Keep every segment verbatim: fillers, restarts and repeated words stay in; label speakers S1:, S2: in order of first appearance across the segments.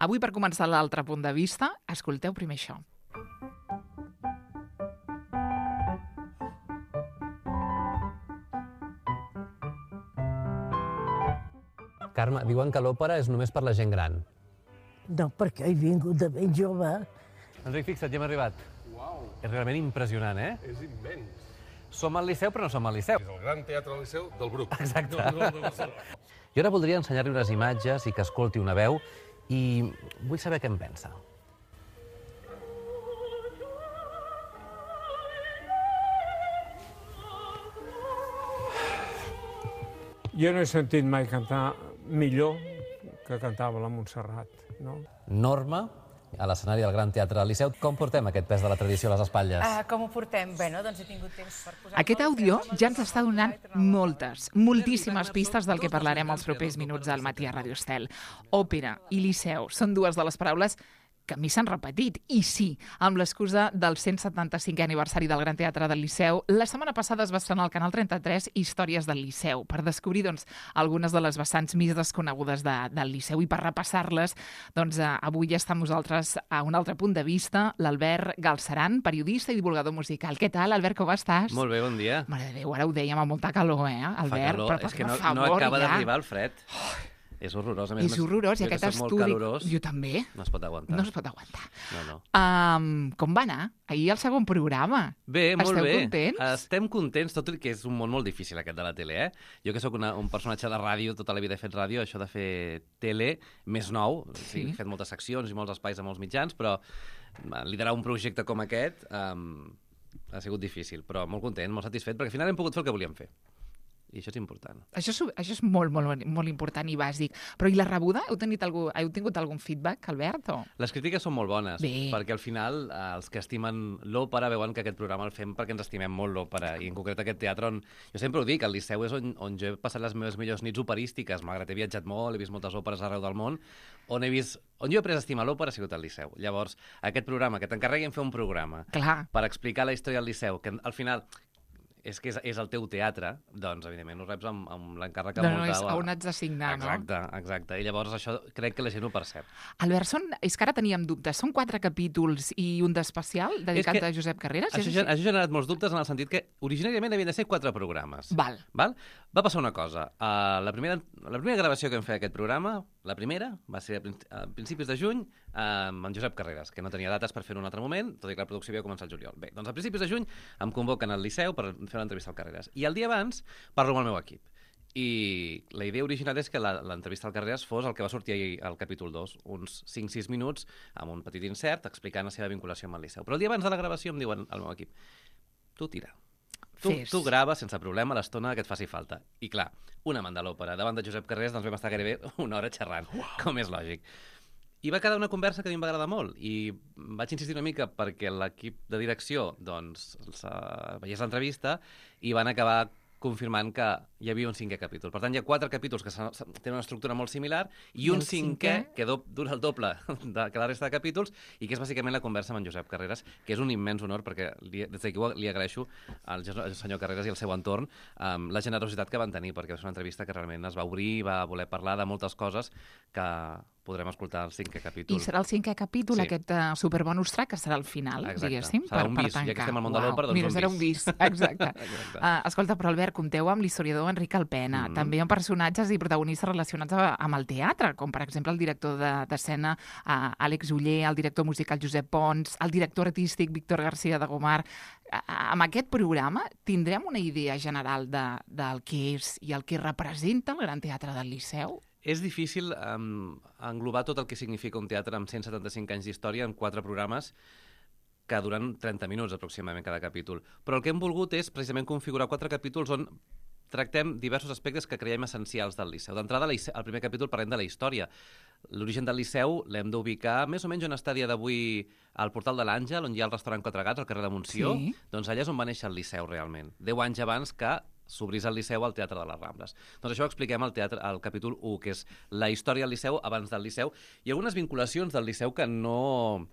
S1: Avui, per començar l'altre punt de vista, escolteu primer això.
S2: Carme, diuen que l'òpera és només per la gent gran.
S3: No, perquè he vingut de ben jove.
S2: Enric, fixa't, ja hem arribat.
S4: Uau!
S2: És realment impressionant, eh?
S4: És immens.
S2: Som al Liceu, però no som al Liceu.
S4: És el Gran Teatre del Liceu del Bruc.
S2: Exacte.
S4: No, no, no, no.
S2: Jo ara voldria ensenyar-li unes imatges i que escolti una veu i vull saber què en pensa.
S5: Jo no he sentit mai cantar millor que cantava la Montserrat, no?
S2: Norma, a l'escenari del Gran Teatre del Liceu. Com portem aquest pes de la tradició a les espatlles?
S6: Uh, com ho portem? Bé, no? Doncs he tingut temps per posar...
S1: Aquest àudio ja ens està donant moltes, moltíssimes pistes del que parlarem els propers minuts al matí a Radio Estel. Òpera i Liceu són dues de les paraules que a mi s'han repetit. I sí, amb l'excusa del cent setanta-cinquè aniversari del Gran Teatre del Liceu, la setmana passada es va estrenar al Canal trenta-tres Històries del Liceu, per descobrir doncs, algunes de les vessants més desconegudes de, del Liceu. I per repassar-les, doncs, eh, avui ja està amb nosaltres a un altre punt de vista l'Albert Galceran, periodista i divulgador musical. Què tal, Albert, com estàs?
S7: Molt bé, bon dia.
S1: Mare de Déu, ara ho dèiem amb molta calor, eh, Albert?
S7: Fa calor,
S1: però,
S7: és que no,
S1: per favor,
S7: no acaba
S1: ja.
S7: d'arribar el fred. Oh. És horrorós. A més,
S1: És horrorós, i
S7: jo que
S1: aquest
S7: soc molt
S1: estudi...
S7: calorós,
S1: Jo també.
S7: no es pot aguantar.
S1: No es pot aguantar.
S7: No, no.
S1: Um, com va anar? Ahir el segon programa.
S7: Bé, molt
S1: Esteu
S7: bé.
S1: contents?
S7: Estem contents, tot i que és un món molt difícil aquest de la tele, eh? Jo que sóc una, un personatge de ràdio, tota la vida he fet ràdio, això de fer tele, més nou, sí. He fet moltes seccions i molts espais a molts mitjans, però liderar un projecte com aquest um, ha sigut difícil, però molt content, molt satisfet, perquè al final hem pogut fer el que volíem fer. I això és important.
S1: Això és, això és molt, molt, molt important i bàsic. Però i la rebuda? Heu, tenit algú, heu tingut algun feedback, Albert? O?
S7: Les crítiques són molt bones,
S1: Bé.
S7: perquè al final eh, els que estimen l'òpera veuen que aquest programa el fem perquè ens estimem molt l'òpera, i en concret aquest teatre on... Jo sempre ho dic, el Liceu és on, on jo he passat les meves millors nits operístiques, malgrat he viatjat molt, he vist moltes òperes arreu del món, on he vist... On jo he après a estimar l'òpera ha sigut al Liceu. Llavors, aquest programa, que t'encarreguin fer un programa
S1: Clar.
S7: per explicar la història del Liceu, que al final... és que és, és el teu teatre, doncs, evidentment, ho reps amb, amb l'encàrrec que
S1: No, no,
S7: molta...
S1: és on ets de signar, no?
S7: Exacte, exacte. I llavors això crec que la gent ho percep.
S1: Albert, són, és que ara teníem dubtes. Són quatre capítols i un d'especial dedicat
S7: que
S1: a Josep Carreras?
S7: Això, això ha generat molts dubtes en el sentit que originàriament havien de ser quatre programes.
S1: Val.
S7: Val? Va passar una cosa. Uh, la, primera, la primera gravació que vam fer d'aquest programa, la primera, va ser a, prin a principis de juny uh, amb en Josep Carreras, que no tenia dates per fer en un altre moment, tot i que la producció havia començat al juliol. Bé, doncs a principis de juny em convoquen al Liceu per fer una entrevista al Carreras. I el dia abans parlo amb el meu equip. I la idea original és que l'entrevista al Carreras fos el que va sortir ahir al capítol dos, uns cinc sis minuts amb un petit insert explicant la seva vinculació amb el Liceu. Però el dia abans de la gravació em diuen al meu equip: tu tira. Tu, tu grava sense problema l'estona que et faci falta. I clar, un amant de l'òpera davant de Josep Carreras, doncs vam estar gairebé una hora xerrant, wow. Com és lògic. I va quedar una conversa que a mi em va agradar molt i vaig insistir una mica perquè l'equip de direcció doncs, veiés l'entrevista i van acabar confirmant que hi havia un cinquè capítol. Per tant, hi ha quatre capítols que tenen una estructura molt similar i, I un cinquè, cinquè que do, dura el doble de, que la resta de capítols i que és bàsicament la conversa amb en Josep Carreras, que és un immens honor perquè li, des d'aquí li agraeixo al senyor Carreras i al seu entorn um, la generositat que van tenir, perquè és una entrevista que realment es va obrir, va voler parlar de moltes coses que podrem escoltar el cinquè capítol.
S1: I serà el cinquè capítol, sí. Aquest uh, superbonus track, que serà el final,
S7: exacte.
S1: Diguéssim,
S7: serà
S1: per,
S7: un
S1: per
S7: bis,
S1: tancar.
S7: Ja que estem al món de l'òpera, doncs
S1: Mira,
S7: un
S1: serà
S7: bis.
S1: un bis, exacte. exacte. Uh, escolta, però Albert, compteu amb l'historiador Enric Alpena, mm. també amb personatges i protagonistes relacionats a, amb el teatre, com per exemple el director d'escena de, uh, Àlex Oller, el director musical Josep Pons, el director artístic Víctor García de Gomar. Uh, amb aquest programa tindrem una idea general de, del que és i el que representa el Gran Teatre del Liceu?
S7: És difícil um, englobar tot el que significa un teatre amb cent setanta-cinc anys d'història en quatre programes que duren trenta minuts aproximadament cada capítol. Però el que hem volgut és precisament configurar quatre capítols on tractem diversos aspectes que creiem essencials del Liceu. D'entrada, al primer capítol parlem de la història. L'origen del Liceu l'hem d'ubicar més o menys on està a dia d'avui al Portal de l'Àngel, on hi ha el restaurant Quatre Gats, al carrer de Montsió. Sí. Doncs allà és on va néixer el Liceu realment. Deu anys abans que s'obrís al Liceu al Teatre de les Rambles. Doncs això ho expliquem al, teatre, al capítol u, que és la història del Liceu abans del Liceu, i algunes vinculacions del Liceu que no...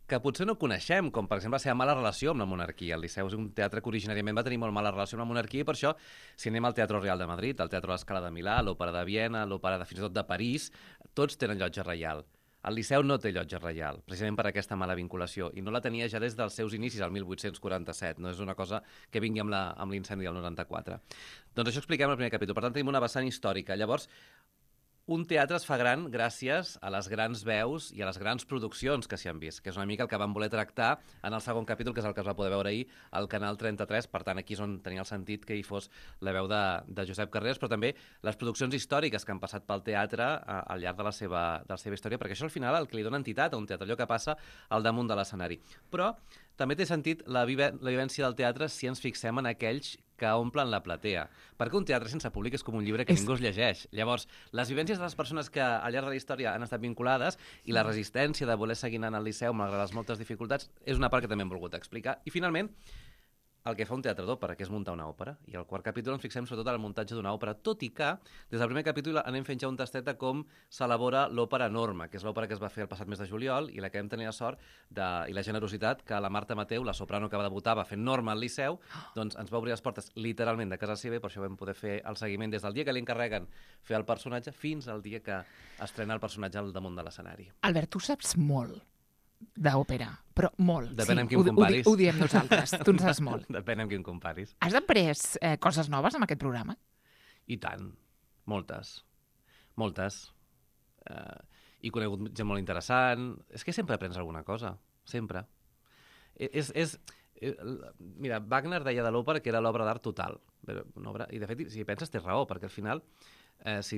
S7: que potser no coneixem, com per exemple la seva mala relació amb la monarquia. El Liceu és un teatre que originàriament va tenir molt mala relació amb la monarquia i per això, si anem al Teatre Real de Madrid, al Teatre a l'Escala de Milà, l'Òpera de Viena, l'Òpera de fins i tot de París, tots tenen llotja reial. El Liceu no té llotja reial, precisament per aquesta mala vinculació, i no la tenia ja des dels seus inicis, al mil vuit-cents quaranta-set. No és una cosa que vingui amb la- amb l'incendi del noranta-quatre. Doncs això expliquem al primer capítol. Per tant, tenim una vessant històrica. Llavors, un teatre es fa gran gràcies a les grans veus i a les grans produccions que s'hi han vist, que és una mica el que vam voler tractar en el segon capítol, que és el que es va poder veure ahir al Canal trenta-tres. Per tant, aquí és on tenia el sentit que hi fos la veu de, de Josep Carreras, però també les produccions històriques que han passat pel teatre a, al llarg de la, seva, de la seva història, perquè això al final el que li dona entitat a un teatre, allò que passa al damunt de l'escenari. Però també té sentit la, vive, la vivència del teatre si ens fixem en aquells que omplen la platea. Perquè un teatre sense públic és com un llibre que
S1: És-
S7: ningú es llegeix. Llavors, les vivències de les persones que al llarg de la història han estat vinculades i la resistència de voler seguir anant al Liceu malgrat les moltes dificultats és una part que també hem volgut explicar. I finalment, el que fa un teatre d'òpera, que és muntar una òpera. I al quart capítol ens fixem sobretot en el muntatge d'una òpera, tot i que des del primer capítol anem fent ja un tastet de com s'elabora l'òpera Norma, que és l'òpera que es va fer el passat mes de juliol i la que vam tenir la sort de, i la generositat que la Marta Mateu, la soprano que va debutar, va fer Norma al Liceu, doncs ens va obrir les portes literalment de casa seva i per això vam poder fer el seguiment des del dia que li encarreguen fer el personatge fins al dia que estrena el personatge al damunt de l'escenari.
S1: Albert, tu saps molt d'òpera, però molt.
S7: Depèn
S1: sí,
S7: amb qui
S1: ho,
S7: em
S1: ho, di-
S7: comparis.
S1: ho diem nosaltres, tu en saps molt.
S7: Depèn amb qui em comparis.
S1: Has après eh, coses noves amb aquest programa?
S7: I tant. Moltes. Moltes. Uh, he conegut gent molt interessant. És que sempre aprens alguna cosa. Sempre. I- És... és eh, l- mira, Wagner deia de l'òpera que era l'obra d'art total. Però una obra, I de fet, si hi penses, té raó, perquè al final, eh, si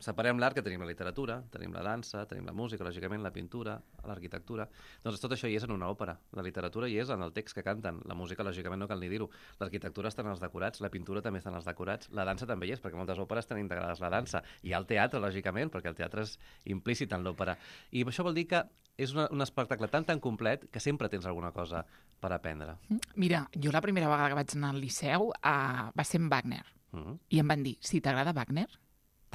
S7: separem l'art, que tenim la literatura, tenim la dansa, tenim la música, lògicament, la pintura, l'arquitectura, doncs tot això hi és en una òpera. La literatura hi és en el text que canten, la música, lògicament, no cal ni dir-ho. L'arquitectura està en els decorats, la pintura també està en els decorats, la dansa també hi és, perquè moltes òperes tenen integrades la dansa. Hi ha el teatre, lògicament, perquè el teatre és implícit en l'òpera. I això vol dir que és una, un espectacle tan tan complet que sempre tens alguna cosa per aprendre.
S1: Mira, jo la primera vegada que vaig anar al Liceu uh, va ser amb Wagner.
S7: Mm.
S1: I em van dir, si t'agrada Wagner,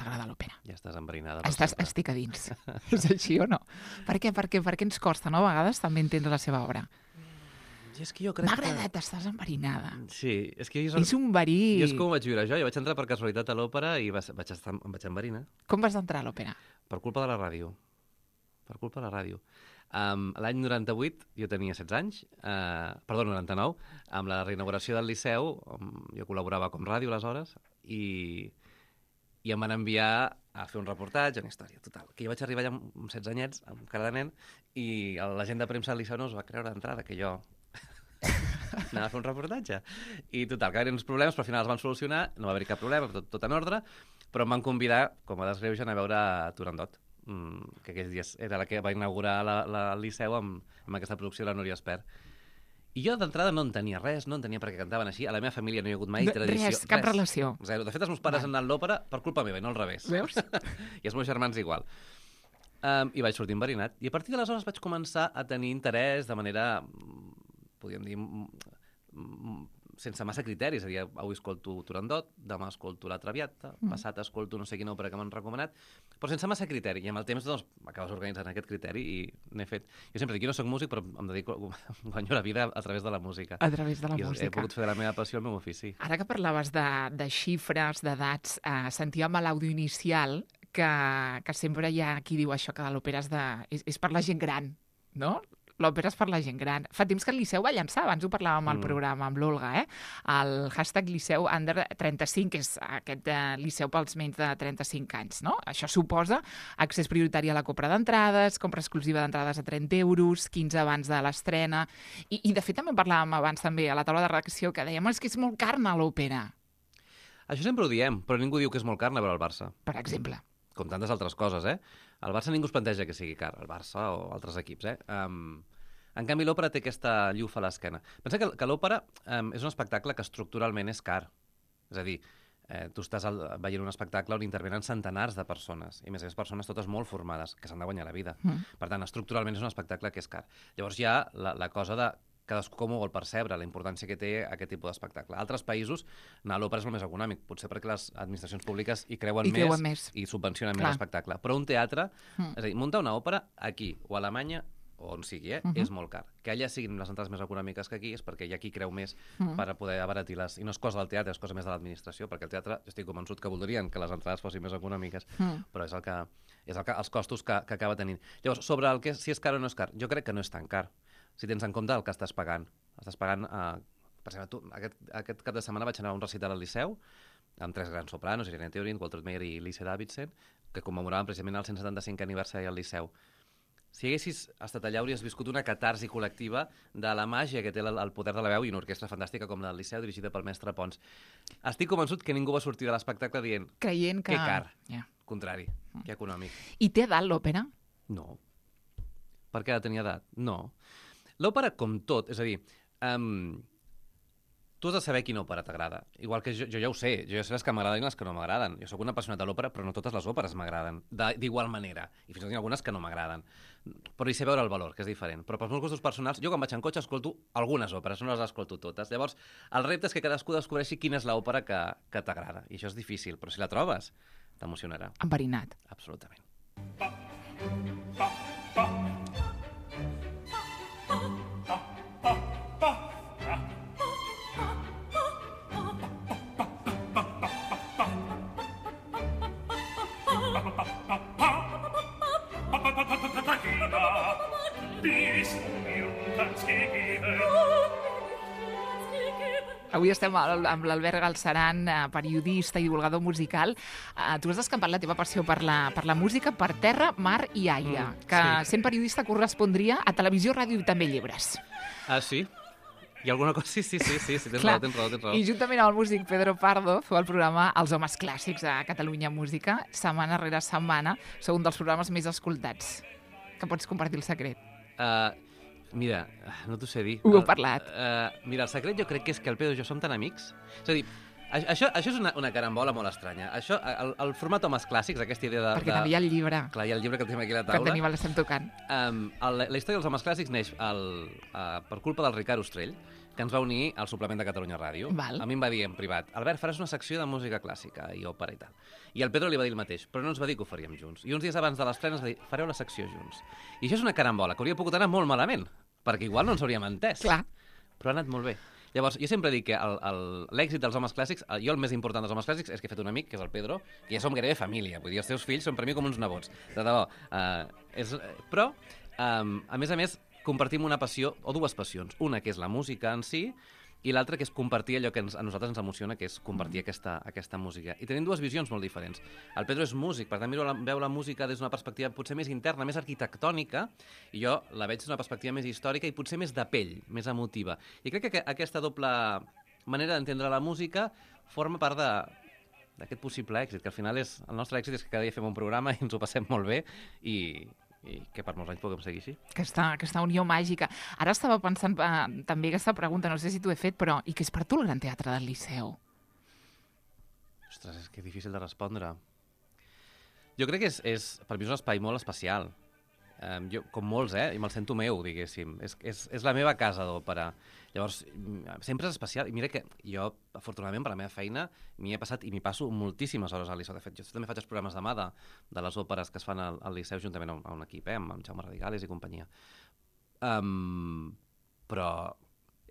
S1: t'agrada l'òpera.
S7: Ja estàs enverinada. per
S1: Estàs,
S7: sempre.
S1: estic a dins. És així o no? Per què? Perquè, perquè ens costa, no? A vegades també entendre la seva obra.
S7: I és que jo crec
S1: M'ha
S7: que...
S1: agradat, estàs enverinada.
S7: Sí, és que jo...
S1: És un verí...
S7: Jo és com ho vaig viure jo. Jo vaig entrar per casualitat a l'òpera i va- vaig estar, em vaig enverinar.
S1: Com vas entrar a l'òpera?
S7: Per culpa de la ràdio. Per culpa de la ràdio. Um, L'any noranta-vuit, jo tenia setze anys, uh, perdó, noranta-nou, amb la reinauguració del Liceu, um, jo col·laborava com ràdio aleshores, i, i em van enviar a fer un reportatge, una història, total. Que jo vaig arribar allà amb amb setze anyets, amb cara de nen, i la gent de premsa del Liceu no es va creure d'entrada que jo anava a fer un reportatge. I total, que hi havia uns problemes, però al final els van solucionar, no va haver-hi cap problema, tot, tot en ordre, però em van convidar, com a desgreuge, a anar a veure Turandot, mm, que aquells dies era la que va inaugurar la, la, el Liceu amb, amb aquesta producció de la Núria Espert. I jo d'entrada no entenia res, no entenia per què cantaven així. A la meva família no hi ha hagut mai
S1: De-
S7: tradició.
S1: res, cap relació.
S7: Zero. De fet, els meus pares
S1: Val.
S7: han anat a l'òpera per culpa meva i no al revés.
S1: Veus?
S7: I els meus germans igual. Um, I vaig sortir enverinat. I a partir d'aleshores vaig començar a tenir interès de manera, mm, podríem dir, mm, mm, sense massa criteris. És a dir, avui escolto Turandot, demà escolto La Traviata,
S1: Mm.
S7: passat escolto no sé quina òpera que m'han recomanat, però sense massa criteri. I amb el temps doncs, acabes organitzant aquest criteri i n'he fet... Jo sempre dic, jo no soc músic, però em dedico, guanyo la vida a través de la música.
S1: A través de la
S7: I he
S1: música.
S7: pogut fer de la meva passió el meu ofici.
S1: Ara que parlaves de, de xifres, d'edats, eh, sentíem a l'àudio inicial que, que sempre hi ha qui diu això, que l'òpera és, de, és, és per la gent gran, no? L'òpera és per la gent gran. Fa temps que el Liceu va llançar, abans ho parlàvem al
S7: Mm.
S1: programa amb l'Olga, eh? El hashtag Liceu Under trenta-cinc, que és aquest eh, Liceu pels menys de trenta-cinc anys, no? Això suposa accés prioritari a la compra d'entrades, compra exclusiva d'entrades a trenta euros, quinze abans de l'estrena... I, I, de fet, també parlàvem abans també a la taula de redacció que dèiem és que és molt car anar a l'òpera,
S7: Això sempre ho diem, però ningú diu que és molt car anar a veure el Barça.
S1: per exemple.
S7: Com tantes altres coses, eh? El Barça ningú es planteja que sigui car, el Barça o altres equips, eh? Um, en canvi, l'òpera té aquesta llufa a l'esquena. Pensa que, que l'òpera um, és un espectacle que estructuralment és car. És a dir, eh, tu estàs al, veient un espectacle on intervenen centenars de persones, i a més a més persones totes molt formades, que s'han de guanyar la vida.
S1: Mm.
S7: Per tant, estructuralment és un espectacle que és car. Llavors hi ha la, la cosa de cadascú com ho vol percebre, la importància que té aquest tipus d'espectacle. A altres països, anar a l'òpera és el més econòmic, potser perquè les administracions públiques hi creuen,
S1: Hi creuen
S7: més,
S1: més.
S7: i subvencionen
S1: Clar.
S7: més l'espectacle. Però un teatre,
S1: Mm.
S7: és a dir, muntar una òpera aquí, o a Alemanya, o on sigui, eh?
S1: Uh -huh.
S7: És molt car. Que allà siguin les entrades més econòmiques que aquí és perquè hi ha qui creu més uh -huh. per poder abaratir-les. I no és cosa del teatre, és cosa més de l'administració, perquè el teatre, jo estic convençut que voldrien que les entrades fossin més econòmiques, uh -huh. però és el que és el que, els costos que, que acaba tenint. Llavors, sobre el que si és car o no és car, jo crec que no és tan car. Si tens en compte el que estàs pagant. Estàs pagant, eh, per exemple, tu, aquest, aquest cap de setmana vaig anar a un recital al Liceu, amb tres grans sopranos, Irene Theorin, Walter Meyer i Lisa Davidson, que commemoraven precisament el cent setanta-cinquè aniversari al Liceu. Si haguessis estat allà, hauries viscut una catarsi col·lectiva de la màgia que té el, el poder de la veu i una orquestra fantàstica com la del Liceu, dirigida pel mestre Pons. Estic convençut que ningú va sortir de l'espectacle dient
S1: creient que...
S7: que car.
S1: Yeah.
S7: Contrari, que econòmic.
S1: I té edat l'òpera?
S7: No. Per què ha de tenir edat? No. L'òpera, com tot, és a dir, um, tu has de saber quina òpera t'agrada. Igual que jo, jo ja ho sé, jo ja sé les que m'agraden i les que no m'agraden. Jo sóc un apassionat de l'òpera, però no totes les òperes m'agraden, d'igual manera. I fins i tot hi ha algunes que no m'agraden. Però hi sé veure el valor, que és diferent. Però pels meus gustos personals, jo quan vaig en cotxe escolto algunes òperes, no les escolto totes. Llavors, el repte és que cadascú descobreixi quina és l'òpera que, que t'agrada. I això és difícil, però si la trobes, t'emocionarà.
S1: Enverinat.
S7: Absolutament.
S1: Avui estem amb l'Albert Galceran, periodista i divulgador musical. Tu has descampat la teva passió per la, per la música per terra, mar i aire, mm, que sí. Sent periodista correspondria a televisió, ràdio i també llibres.
S7: Ah, sí? Hi ha alguna cosa? Sí, sí, sí, sí, sí tens raó, tens raó, tens raó.
S1: I juntament amb el músic Pedro Pardo feu el programa Els Homes Clàssics a Catalunya Música. Setmana rere setmana sou un dels programes més escoltats. Que pots compartir el secret?
S7: Uh, mira, no t'ho sé dir.
S1: Ho heu parlat.
S7: Uh, mira, el secret jo crec que és que el Pedro i jo som tan amics. És a dir, això, això és una, una carambola molt estranya. Això, el, el format Homes Clàssics, aquesta idea de...
S1: Perquè
S7: de...
S1: també hi ha el llibre.
S7: Clar, hi ha el llibre que tenim aquí a la taula.
S1: Que tenim, l'estem tocant.
S7: Um, el, la història dels Homes Clàssics neix el, uh, per culpa del Ricard Ostrell, que ens va unir al suplement de Catalunya Ràdio.
S1: Val.
S7: A mi em va dir en privat, Albert, faràs una secció de música clàssica i òpera i tal. I el Pedro li va dir el mateix, però no ens va dir que ho faríem junts. I uns dies abans de l'estrena ens va dir, fareu la secció junts. I això és una carambola, que hauria pogut anar molt malament, perquè igual no ens hauríem entès.
S1: Clar.
S7: Però ha anat molt bé. Llavors, jo sempre dic que l'èxit dels Homes Clàssics, jo el més important dels Homes Clàssics és que he fet un amic, que és el Pedro, que ja som gairebé família. Vull dir, els teus fills són per mi com uns nebots. De debò. Uh, és, però, um, a més a més, compartim una passió, o dues passions. Una, que és la música en si, i l'altra, que és compartir allò que ens, a nosaltres ens emociona, que és compartir aquesta, aquesta música. I tenim dues visions molt diferents. El Pedro és músic, per tant, la, veu la música des d'una perspectiva potser més interna, més arquitectònica, i jo la veig des d'una perspectiva més històrica i potser més de pell, més emotiva. I crec que aquesta doble manera d'entendre la música forma part de d'aquest possible èxit, que al final és, el nostre èxit és que cada dia fem un programa i ens ho passem molt bé i... i que per molts anys puguem seguir així.
S1: Aquesta, aquesta unió màgica. Ara estava pensant eh, també aquesta pregunta, no sé si t'ho he fet, però i què és per tu el Gran Teatre del Liceu?
S7: Ostres, és que és difícil de respondre. Jo crec que és, és per mi és un espai molt especial. Um, jo, com molts, eh? I me'l sento meu, diguéssim. És, és, és la meva casa d'òpera. Llavors, sempre és especial. I mira que jo, afortunadament, per la meva feina, m'hi he passat i m'hi passo moltíssimes hores al Liceu. De fet, jo també faig els programes de mà de, de les òperes que es fan al, al Liceu juntament a un, a un equip, eh? amb, amb Jaume Radigales i companyia. Um, però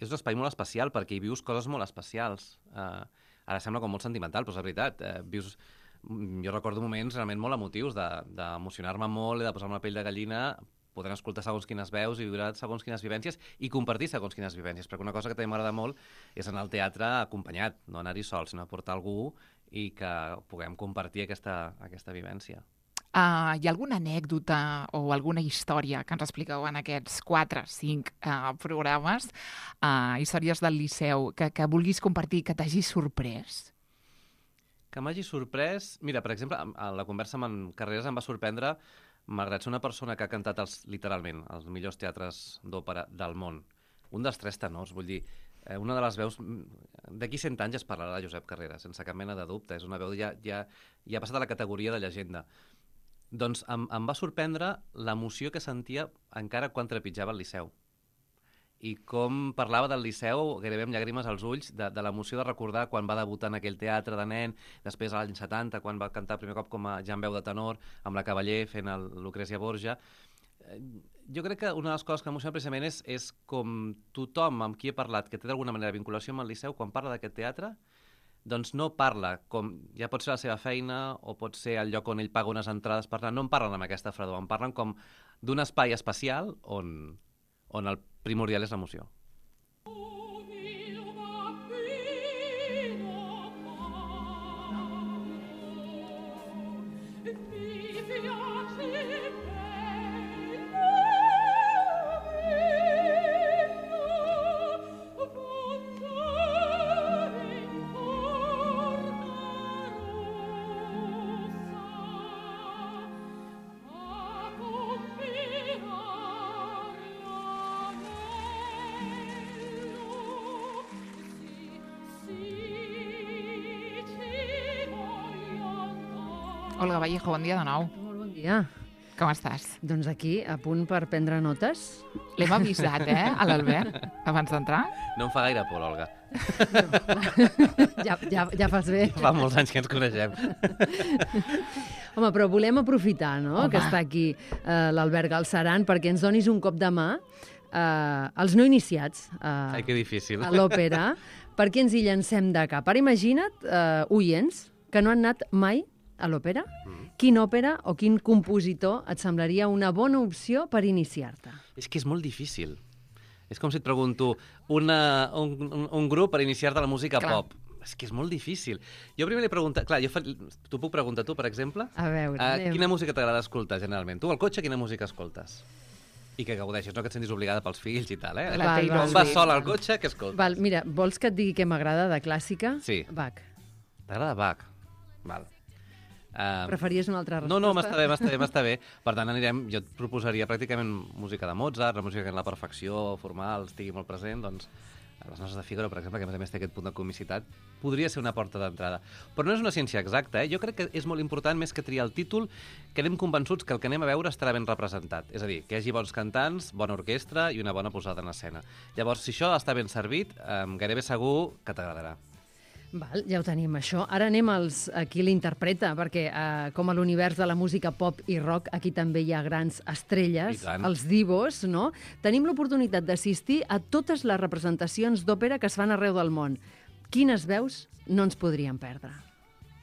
S7: és un espai molt especial perquè hi vius coses molt especials. Uh, ara sembla com molt sentimental, però és la veritat. Uh, vius... Jo recordo moments realment molt emotius d'emocionar-me de, molt i de posar-me la pell de gallina podent escoltar segons quines veus i viure segons quines vivències i compartir segons quines vivències, perquè una cosa que també m'agrada molt és anar al teatre acompanyat, no anar-hi sol, sinó portar algú i que puguem compartir aquesta, aquesta vivència.
S1: Uh, hi ha alguna anècdota o alguna història que ens expliqueu en aquests quatre, cinc uh, programes, uh, històries del Liceu, que, que vulguis compartir, que t'hagi sorprès?
S7: Que m'hagi sorprès... Mira, per exemple, a la conversa amb en Carreras em va sorprendre, malgrat ser una persona que ha cantat els, literalment els millors teatres d'òpera del món. Un dels tres tenors, vull dir, una de les veus... D'aquí cent anys es parlarà de Josep Carreras, sense cap mena de dubte. És una veu ja, ja, ja ha passat a la categoria de llegenda. Doncs em, em va sorprendre l'emoció que sentia encara quan trepitjava el Liceu. I com parlava del Liceu, gairebé amb llàgrimes als ulls, de, de l'emoció de recordar quan va debutar en aquell teatre de nen, després a l'any setanta, quan va cantar primer cop com a ja en veu de tenor, amb la Cavaller fent el Lucrècia Borgia. Jo crec que una de les coses que m'emociona precisament és, és com tothom amb qui he parlat que té d'alguna manera vinculació amb el Liceu, quan parla d'aquest teatre, doncs no parla com... Ja pot ser la seva feina o pot ser el lloc on ell paga unes entrades per anar. No en parlen amb aquesta fredor, en parlen com d'un espai especial on, on el primordial és l'emoció.
S1: Olga Vallejo, bon dia de nou.
S8: Molt bon dia.
S1: Com estàs?
S8: Doncs aquí, a punt per prendre notes.
S1: L'hem avisat, eh, a l'Albert, abans d'entrar.
S7: No em fa gaire por, l'Olga.
S8: Ja, ja, ja fas bé.
S7: Fa molts anys que ens coneixem.
S8: Home, però volem aprofitar, no?,
S1: Home.
S8: que està aquí eh, l'Albert Galceran perquè ens donis un cop de mà eh, als no iniciats eh,
S7: Ai, que difícil.
S8: a l'òpera, perquè ens hi llancem de cap. Ara imagina't, eh, oients, que no han anat mai a l'òpera. Mm. Quin òpera o quin compositor et semblaria una bona opció per iniciar-te?
S7: És que és molt difícil. És com si et pregunto una, un, un, un grup per iniciar-te la música
S1: Clar.
S7: pop. És que és molt difícil. Jo primer li pregunto... Clar, jo fa... t'ho puc preguntar tu, per exemple?
S8: A veure,
S7: Uh,
S8: anem.
S7: quina música t'agrada escoltar, generalment? Tu al cotxe, quina música escoltes? I que gaudeixis, no que et sentis obligada pels fills i tal, eh?
S1: La
S8: Val,
S1: Taylor
S8: val.
S7: Quan vas
S1: Swift.
S7: sol al cotxe, què escoltes?
S8: Val, mira, vols que et digui què m'agrada de clàssica?
S7: Sí.
S8: Bach.
S7: T'agrada Bach? Val. Uh,
S8: Preferies una altra resposta?
S7: No, no, m'està bé, m'està bé, m'està bé. Per tant, anirem, jo et proposaria pràcticament música de Mozart, la música que en la perfecció formal estigui molt present, doncs les nostres de Fígaro, per exemple, que a més a més té aquest punt de comicitat, podria ser una porta d'entrada. Però no és una ciència exacta, eh? Jo crec que és molt important, més que triar el títol, que anem convençuts que el que anem a veure estarà ben representat. És a dir, que hi hagi bons cantants, bona orquestra i una bona posada en escena. Llavors, si això està ben servit, eh, gairebé segur que t'agradarà.
S8: Val, ja ho tenim, això. Ara anem als, a qui l'interpreta, perquè eh, com a l'univers de la música pop i rock, aquí també hi ha grans
S7: I
S8: estrelles,
S7: tant.
S8: els divos, no? Tenim l'oportunitat d'assistir a totes les representacions d'òpera que es fan arreu del món. Quines veus no ens podríem perdre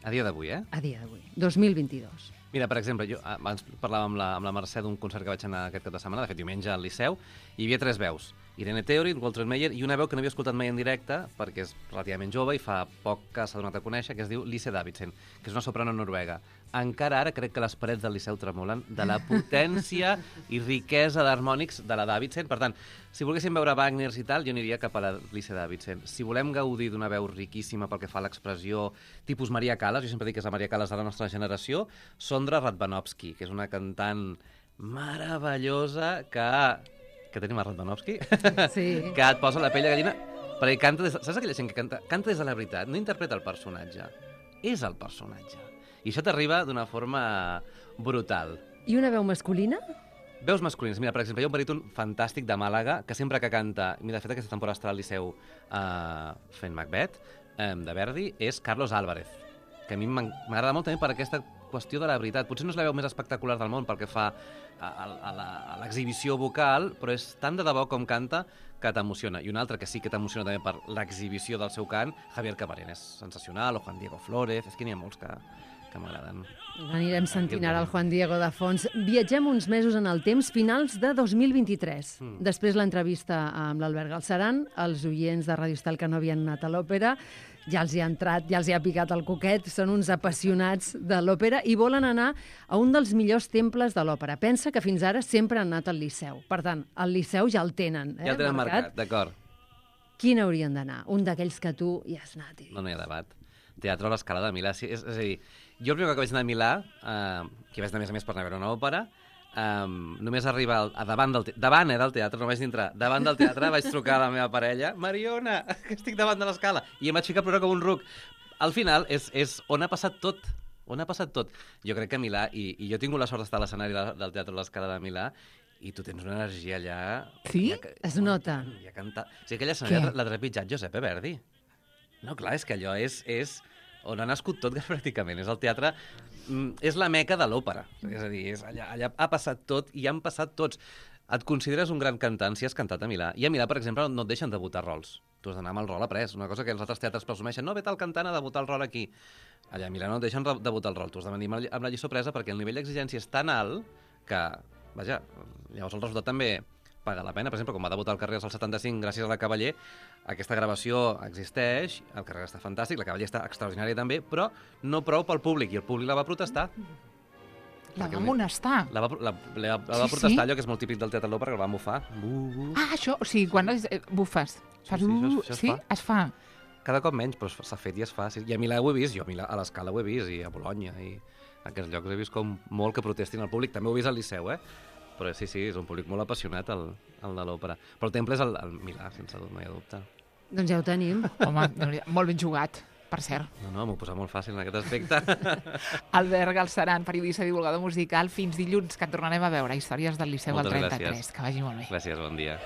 S7: A dia d'avui, eh?
S8: a dia d'avui, dos mil vint-i-dos?
S7: Mira, per exemple, jo abans parlàvem amb la, amb la Mercè d'un concert que vaig anar aquest cap de setmana, de fet diumenge al Liceu, i hi havia tres veus. Irene Theorin, Walter Meyer i una veu que no havia escoltat mai en directe, perquè és relativament jove i fa poc que s'ha donat a conèixer, que es diu Lise Davidsen, que és una soprano noruega. Encara ara crec que les parets del Liceu tremolen de la potència i riquesa d'harmònics de la Davidsen. Per tant, si volguéssim veure Wagners i tal, jo aniria cap a la Lise Davidsen. Si volem gaudir d'una veu riquíssima pel que fa a l'expressió tipus Maria Callas, jo sempre dic que és la Maria Callas de la nostra generació, Sondra Radvanovsky, que és una cantant meravellosa que... que tenim a Radvanovsky,
S8: Sí.
S7: que et posa la pell de gallina, perquè canta des de... Saps aquella gent que canta, canta des de la veritat? No interpreta el personatge, és el personatge. I això t'arriba d'una forma brutal.
S8: I una veu masculina?
S7: Veus masculines. Mira, per exemple, hi ha un baríton fantàstic de Màlaga que sempre que canta, mira, de fet aquesta temporada estarà al Liceu uh, fent Macbeth, um, de Verdi, és Carlos Álvarez, que a mi m'en- m'agrada molt també per aquesta qüestió de la veritat. Potser no és la veu més espectacular del món pel que fa a, a, a la- a l'exhibició vocal, però és tan de debò com canta que t'emociona. I un altre que sí que t'emociona també per l'exhibició del seu cant, Javier Camarén, és sensacional, o Juan Diego Flórez, és que n'hi ha molts que, que m'agraden.
S8: Anirem sentint ara el Juan Diego de fons. Viatgem uns mesos en el temps, finals de dos mil vint-i-tres.
S7: Mm.
S8: Després l'entrevista amb l'Albert Galceran, els oients de Radio Estel que no havien anat a l'òpera, ja els hi ha entrat, ja els hi ha picat el coquet, són uns apassionats de l'òpera i volen anar a un dels millors temples de l'òpera. Pensa que fins ara sempre han anat al Liceu. Per tant, al Liceu ja el tenen, eh,
S7: Ja el tenen marcat, d'acord.
S8: Quin haurien d'anar? Un d'aquells que tu hi has anat. I...
S7: No, no hi ha debat. Teatre a l'Escala de Milà. Sí, és, és a dir, jo el primer cop que vaig anar a Milà, eh, que vaig anar a més a més per anar a veure una òpera, eh, només arribar al, a davant del, te davant, eh, del teatre, no vaig entrar, davant del teatre vaig trucar a la meva parella, Mariona, que estic davant de l'escala, i em vaig ficar a plorar com un ruc. Al final és, és on ha passat tot, on ha passat tot. Jo crec que a Milà, i, i jo he tingut la sort d'estar a l'escenari de- del Teatre a l'Escala de Milà, i tu tens una energia allà...
S1: Sí?
S7: Ja que-
S8: Es nota.
S7: Ja canta... O sigui, aquella escenari
S1: Què?
S7: l'ha trepitjat Giuseppe Verdi. No, clar, és que allò és... és... on ha nascut tot pràcticament. És el teatre, és la meca de l'òpera. És a dir, és allà, allà ha passat tot i han passat tots. Et consideres un gran cantant si has cantat a Milà. I a Milà, per exemple, no et deixen debutar rols. Tu has d'anar amb el rol après. Una cosa que els altres teatres presumeixen. No, ve tal cantant a debutar el rol aquí. Allà a Milà no et deixen debutar el rol. Tu has de venir amb la lliçó presa perquè el nivell d'exigència és tan alt que, vaja, llavors el resultat també paga la pena. Per exemple, quan va debutar el Carreras al setanta-cinc gràcies a la Cavaller, aquesta gravació existeix, el Carreras està fantàstic, la Cavaller està extraordinària també, però no prou pel públic, i el públic la va protestar.
S1: La va amonestar.
S7: La va, la, la, la va
S1: Sí,
S7: protestar,
S1: sí.
S7: allò que és molt típic del teatre de l'òpera, que el van bufar. Bu, bu.
S1: Ah, això, o sigui, quan es, eh, bufes, fas
S7: Sí, sí,
S1: uh,
S7: això- això es
S1: sí,
S7: fa.
S1: es fa.
S7: Cada cop menys, però s'ha fet i es fa. Sí. I a Milà ho he vist, jo a, Milà, a l'Escala ho he vist, i a Bologna, i a aquests llocs he vist com molt que protestin al públic. També ho he vist al Liceu, eh? Però sí, sí, és un públic molt apassionat, el, el de l'òpera. Però el temple és el, el Milà, sense dubte, no hi ha dubte.
S8: Doncs ja ho tenim.
S1: Home, molt ben jugat, per cert.
S7: No, no, m'ho posa molt fàcil en aquest aspecte.
S1: Albert Galceran, periodista i divulgador musical, fins dilluns, que et tornarem a veure. Històries del Liceu al
S7: Moltes
S1: trenta-tres.
S7: gràcies.
S1: Que vagi molt bé.
S7: Gràcies, bon dia.